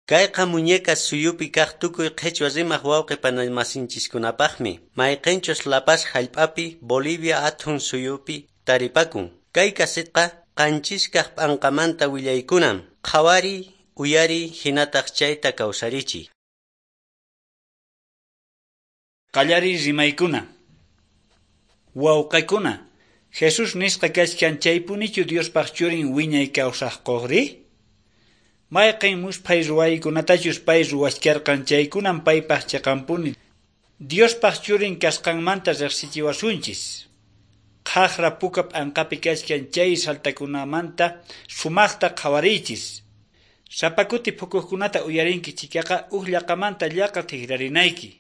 Kayqa Muñecas suyupi kaq tukuy qhichwa rimaq wawqi panamasinchiskunapaqmi, mayqinchus La Paz hallp'api, Bolivia athun suyupi taripakun. Kay kasetqa qanchiskaq p'anqamanta willaykunam. Qhawariy, uyariy hinataq chayta kawsarichiy. Qallariy rimaykuna. Wawqikuna, Jesús nisqa kachkan chaypunichu Diospaq churin wiñay kawsaqkuqri? Mayqin musphay ruwaykunatachus pay ruwachkarqan chaykunam paypaq chiqanpuni Diospaq churin kasqanmanta riqsichiwasunchis. Qhaqra puka p'anqapi kachkan chay saltakunamanta sumaqta qhawariychis. Sapa kuti phukuqkunata uyarinki chhikaqa huk llaqamanta llaqa tikrarinayki.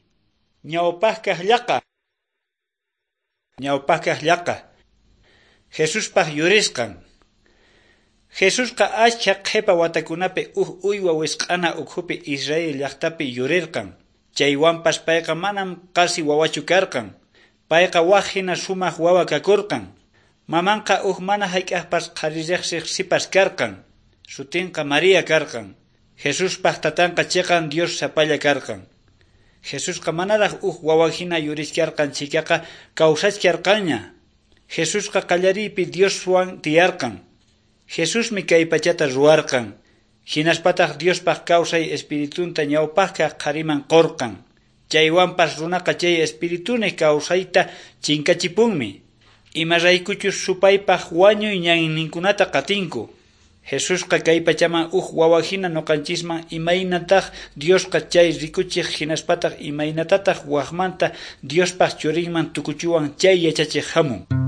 Ñawpaqkaq llaqa. Ñawpaqkaq llaqa. Jesuspaq yurisqan. Jesusqa achka qhipa watakunapi huk uywa wisq'ana ukhupi Israel llaqtapi yurirqan. Chaywanpas payqa manam qasi wawachu karqan. Payqa wak hina sumaq wawa kakurqan. Mamanqa huk mana hayk'aqpas qhari riqsiq sipas karqan. Sutinqa María karqan. Jesuspaq tatanqa chiqan Dios sapalla karqan. Jesusqa manaraq huk wawa hina yurichkarqan chhikaqa kawsachkarqanña. Jesusqa qallariypi Dioswan tiyarqan. Jesusmi kay pachata ruwarqan. Hinaspataq Diospaq kawsay espiritunta ñawpaqkaq qhariman qurqan. Chaywanpas runaqa chay espirituni kawsayta chinkachipunmi. Imaraykuchus supaypaq wañuy ñanninkunata qatinku. Jesusqa kay pachaman huk wawa hina ñuqanchisman imaynataq Diosqa chay rikuchiq hinaspataq imaynatataq wakmanta Diospaq churinman tukuchiwan chay yachachiq hamun.